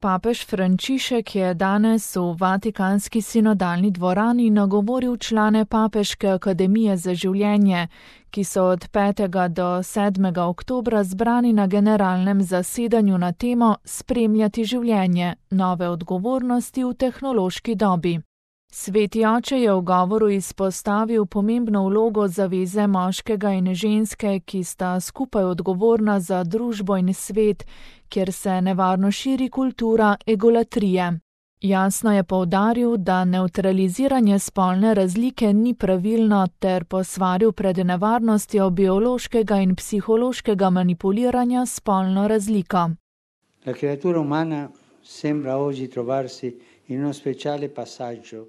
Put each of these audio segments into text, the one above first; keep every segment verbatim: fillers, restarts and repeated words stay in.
Papež Frančišek je danes v Vatikanski sinodalni dvorani nagovoril člane Papeške akademije za življenje, ki so od petega do sedmega oktobra zbrani na generalnem zasedanju na temo Spremljati življenje, nove odgovornosti v tehnološki dobi. Sveti oče je v govoru izpostavil pomembno vlogo zaveze moškega in ženske, ki sta skupaj odgovorna za družbo in svet, kjer se nevarno širi kultura egolatrije. Jasno je poudaril, da nevtraliziranje spolne razlike ni pravilno ter posvaril pred nevarnostjo biološkega in psihološkega manipuliranja s spolno razliko. La creatura umana sembra oggi trovarsi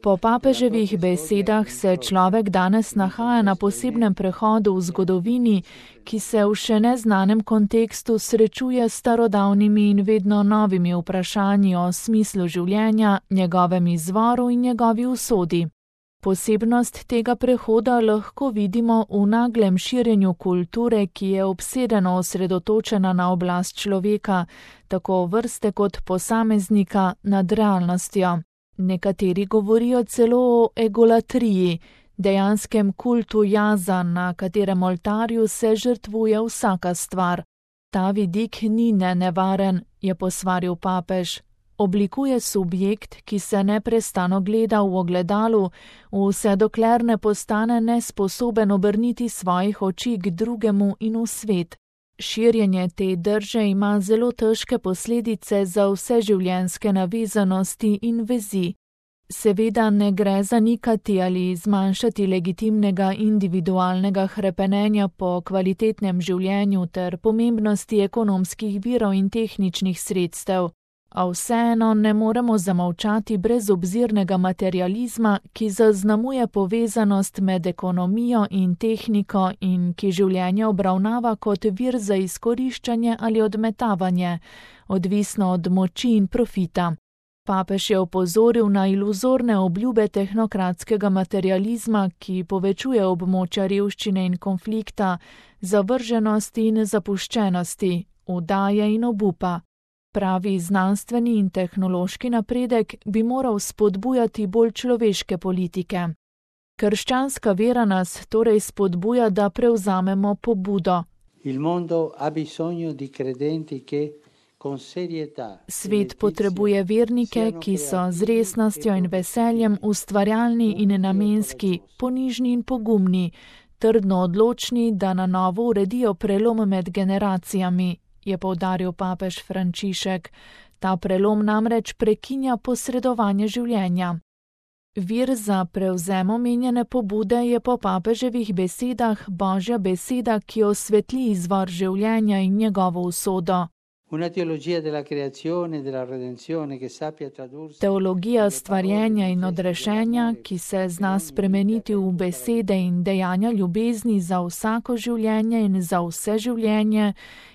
Po papeževih besedah se človek danes nahaja na posebnem prehodu v zgodovini, ki se v še neznanem kontekstu srečuje s starodavnimi in vedno novimi vprašanji o smislu življenja, njegovem izvoru in njegovi usodi. Posebnost tega prehoda lahko vidimo v naglem širjenju kulture, ki je obsedeno osredotočena na oblast človeka, tako vrste kot posameznika nad realnostjo. Nekateri govorijo celo o egolatriji, dejanskem kultu jaza, na katerem oltarju se žrtvuje vsaka stvar. Ta vidik ni nenevaren, je posvaril papež. Oblikuje subjekt, ki se neprestano gleda v ogledalu, vse dokler ne postane nesposoben obrniti svojih oči k drugemu in v svet. Širjenje te drže ima zelo težke posledice za vse življenjske navezanosti in vezi. Seveda ne gre zanikati ali zmanjšati legitimnega individualnega hrepenenja po kvalitetnem življenju ter pomembnosti ekonomskih virov in tehničnih sredstev. A vseeno ne moremo zamolčati brezobzirnega materializma, ki zaznamuje povezanost med ekonomijo in tehniko in ki življenje obravnava kot vir za izkoriščanje ali odmetavanje, odvisno od moči in profita. Papež je opozoril na iluzorne obljube tehnokratskega materializma, ki povečuje območja revščine in konflikta, zavrženosti in zapuščenosti, vdaje in obupa. Pravi znanstveni in tehnološki napredek bi moral spodbujati bolj človeške politike. Krščanska vera nas torej spodbuja, da prevzamemo pobudo. Il mondo ha bisogno di credenti che con serietà. Svet potrebuje vernike, ki so z resnostjo in veseljem ustvarjalni in namenski, ponižni in pogumni, trdno odločni, da na novo uredijo prelom med generacijami, je poudaril papež Frančišek. Ta prelom namreč prekinja posredovanje življenja. Vir za prevzem omenjene pobude je po papeževih besedah Božja beseda, ki osvetli izvor življenja in njegovo usodo. Una teologia della creazione e della redenzione che sappia tradursi. Teologija stvarjenja in odrešenja, ki se zna spremeniti v besede in dejanja ljubezni za vsako življenje in za vse življenje,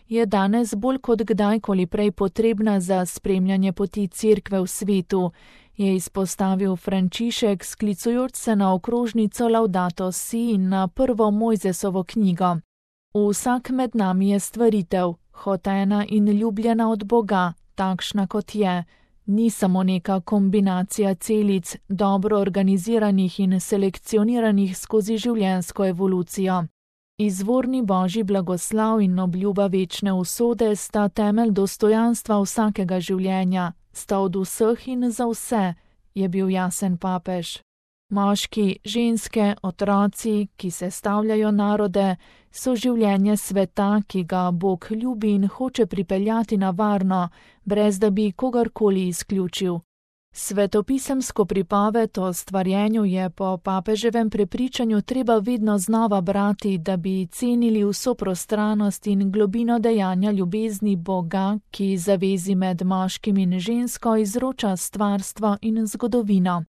je danes bolj kot kdajkoli prej potrebna za spremljanje poti Cerkve v svetu, je izpostavil Frančišek, sklicujoč se na okrožnico Laudato Si in na prvo Mojzesovo knjigo. Vsak med nami je stvaritev, hotena in ljubljena od Boga, takšna kot je. Ni samo neka kombinacija celic, dobro organiziranih in selekcioniranih skozi življenjsko evolucijo. Izvorni Božji blagoslav in obljuba večne usode sta temelj dostojanstva vsakega življenja, sta od vseh in za vse, je bil jasen papež. Moški, ženske, otroci, ki sestavljajo narode, so življenje sveta, ki ga Bog ljubi in hoče pripeljati na varno, brez da bi kogarkoli izključil. Svetopisemsko pripoved o stvarjenju je po papeževem prepričanju treba vedno znova brati, da bi cenili vso prostranost in globino dejanja ljubezni Boga, ki zavezi med moškim in žensko izroča stvarstvo in zgodovino.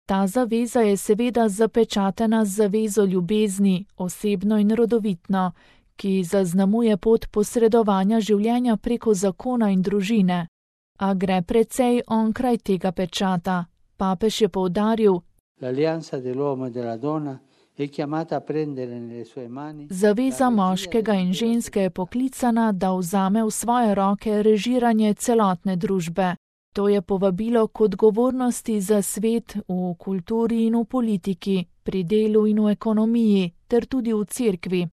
Ta zaveza je seveda zapečatena z zavezo ljubezni, osebno in rodovitno, ki zaznamuje pot posredovanja življenja preko zakona in družine. A gre precej onkraj tega pečata. Papež je poudaril, zaveza moškega in ženske je poklicana, da vzame v svoje roke režiranje celotne družbe. To je povabilo k odgovornosti za svet v kulturi in v politiki, pri delu in v ekonomiji, ter tudi v cerkvi.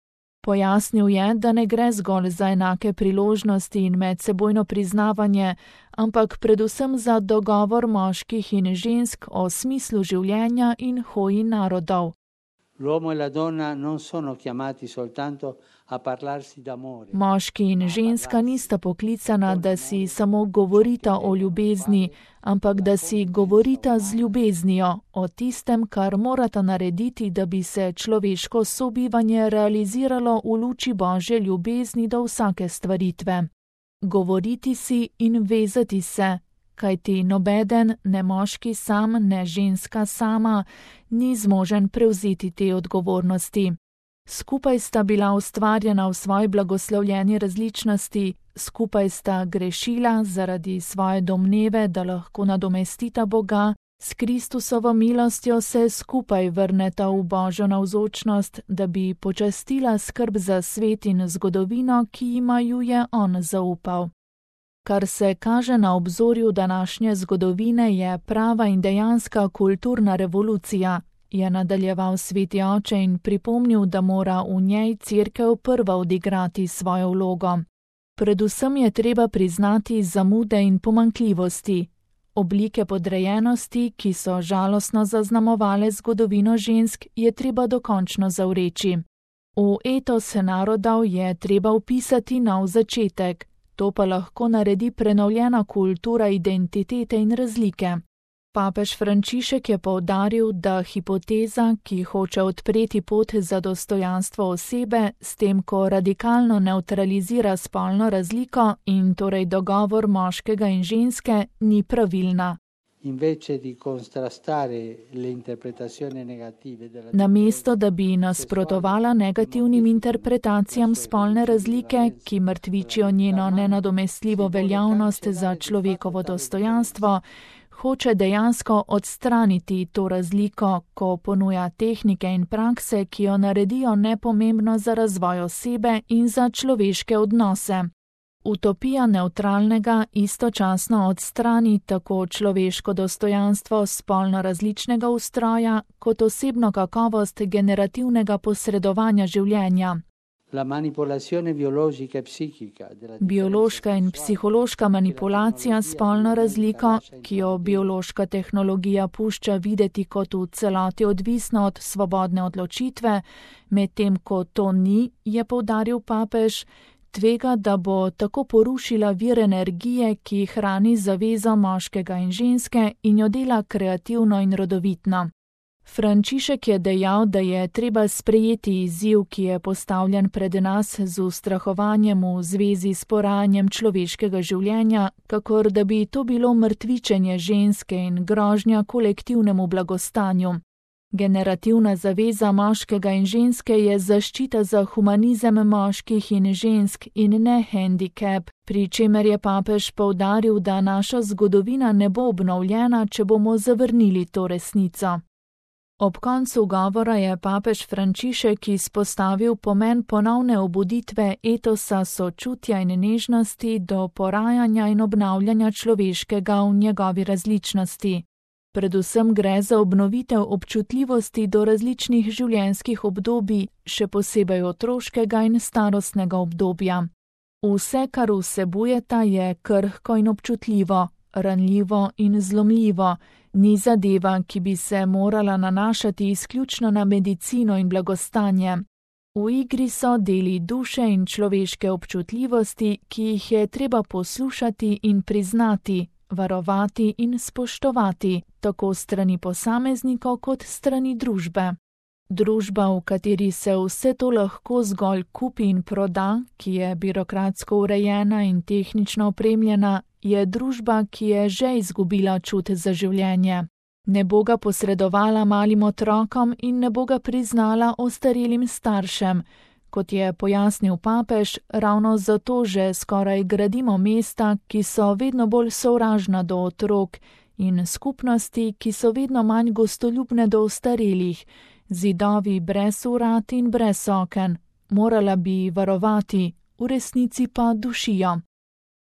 Pojasnil je, da ne gre zgolj za enake priložnosti in medsebojno priznavanje, ampak predvsem za dogovor moških in žensk o smislu življenja in hoji narodov. L'uomo e la donna non sono chiamati soltanto a parlarsi d'amore. Moški in ženska nista poklicana, da si samo govorita o ljubezni, ampak da si govorita z ljubeznijo, o tistem, kar morata narediti, da bi se človeško sobivanje realiziralo v luči Božje ljubezni do vsake stvaritve. Govoriti si in vezati se, kajti nobeden, ne moški sam, ne ženska sama, ni zmožen prevzeti te odgovornosti. Skupaj sta bila ustvarjena v svoji blagoslovljeni različnosti, skupaj sta grešila zaradi svoje domneve, da lahko nadomestita Boga, s Kristusovo milostjo se skupaj vrneta v Božjo navzočnost, da bi počastila skrb za svet in zgodovino, ki jima ju je on zaupal. Kar se kaže na obzorju današnje zgodovine, je prava in dejanska kulturna revolucija, je nadaljeval sveti oče in pripomnil, da mora v njej cerkev prva odigrati svojo vlogo. Predvsem je treba priznati zamude in pomanjkljivosti, oblike podrejenosti, ki so žalostno zaznamovale zgodovino žensk, je treba dokončno zavreči. V etos narodov je treba vpisati nov začetek. To pa lahko naredi prenovljena kultura identitete in razlike. Papež Frančišek je poudaril, da hipoteza, ki hoče odpreti pot za dostojanstvo osebe, s tem, ko radikalno nevtralizira spolno razliko in torej dogovor moškega in ženske, ni pravilna. Namesto, da bi nasprotovala negativnim interpretacijam spolne razlike, ki mrtvičijo njeno nenadomestljivo veljavnost za človekovo dostojanstvo, hoče dejansko odstraniti to razliko, ko ponuja tehnike in prakse, ki jo naredijo nepomembno za razvoj osebe in za človeške odnose. Utopija nevtralnega istočasno odstrani tako človeško dostojanstvo spolno različnega ustroja, kot osebno kakovost generativnega posredovanja življenja. Biološka in psihološka manipulacija spolno razliko, ki jo biološka tehnologija pušča videti kot v celoti odvisno od svobodne odločitve, medtem ko to ni, je poudaril papež, tvega, da bo tako porušila vir energije, ki hrani zavezo moškega in ženske in jo dela kreativno in rodovitno. Frančišek je dejal, da je treba sprejeti izziv, ki je postavljen pred nas z ustrahovanjem v zvezi s porajanjem človeškega življenja, kakor da bi to bilo mrtvičenje ženske in grožnja kolektivnemu blagostanju. Generativna zaveza moškega in ženske je zaščita za humanizem moških in žensk in ne hendikep, pri čemer je papež poudaril, da naša zgodovina ne bo obnovljena, če bomo zavrnili to resnico. Ob koncu govora je papež Frančišek izpostavil pomen ponovne obuditve etosa sočutja in nežnosti do porajanja in obnavljanja človeškega v njegovi različnosti. Predvsem gre za obnovitev občutljivosti do različnih življenjskih obdobij, še posebej otroškega in starostnega obdobja. Vse, kar vsebujeta, je krhko in občutljivo, ranljivo in zlomljivo, ni zadeva, ki bi se morala nanašati izključno na medicino in blagostanje. V igri so deli duše in človeške občutljivosti, ki jih je treba poslušati in priznati, varovati in spoštovati, tako strani posameznikov kot strani družbe. Družba, v kateri se vse to lahko zgolj kupi in proda, ki je birokratsko urejena in tehnično opremljena, je družba, ki je že izgubila čut za življenje. Ne bo ga posredovala malim otrokom in ne bo ga priznala ostarelim staršem. Kot je pojasnil papež, ravno zato že skoraj gradimo mesta, ki so vedno bolj sovražna do otrok, in skupnosti, ki so vedno manj gostoljubne do ostarelih, zidovi brez vrat in brez oken, morala bi varovati, v resnici pa dušijo.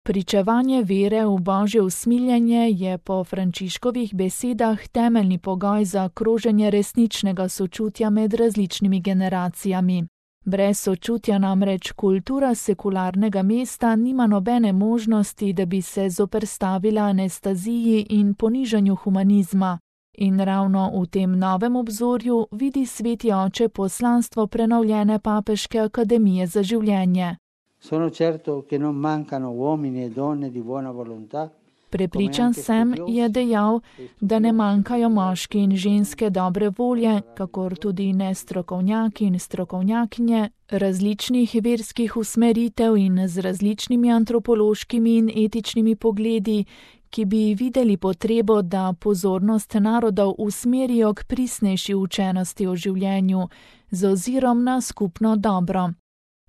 Pričevanje vere v božje usmiljenje je po Frančiškovih besedah temeljni pogoj za kroženje resničnega sočutja med različnimi generacijami. Brez sočutja namreč kultura sekularnega mesta nima nobene možnosti, da bi se zoperstavila anestaziji in ponižanju humanizma. In ravno v tem novem obzorju vidi sveti oče poslanstvo prenovljene Papeške akademije za življenje. Sono certo che non mancano uomini e donne di buona volontà. Prepričan sem, je dejal, da ne manjkajo moški in ženske dobre volje, kakor tudi ne strokovnjaki in strokovnjakinje različnih verskih usmeritev in z različnimi antropološkimi in etičnimi pogledi, ki bi videli potrebo, da pozornost narodov usmerijo k prisnejši učenosti o življenju z ozirom na skupno dobro.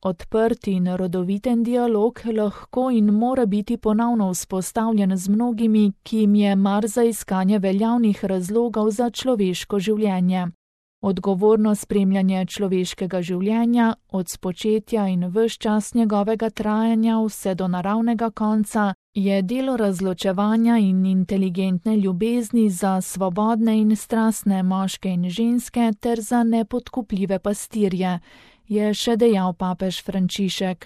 Odprt in rodoviten dialog lahko in mora biti ponovno vzpostavljen z mnogimi, ki jim je mar za iskanje veljavnih razlogov za človeško življenje. Odgovorno spremljanje človeškega življenja, od spočetja in ves čas njegovega trajanja vse do naravnega konca, je delo razločevanja in inteligentne ljubezni za svobodne in strastne moške in ženske ter za nepodkupljive pastirje, je še dejal papež Frančišek.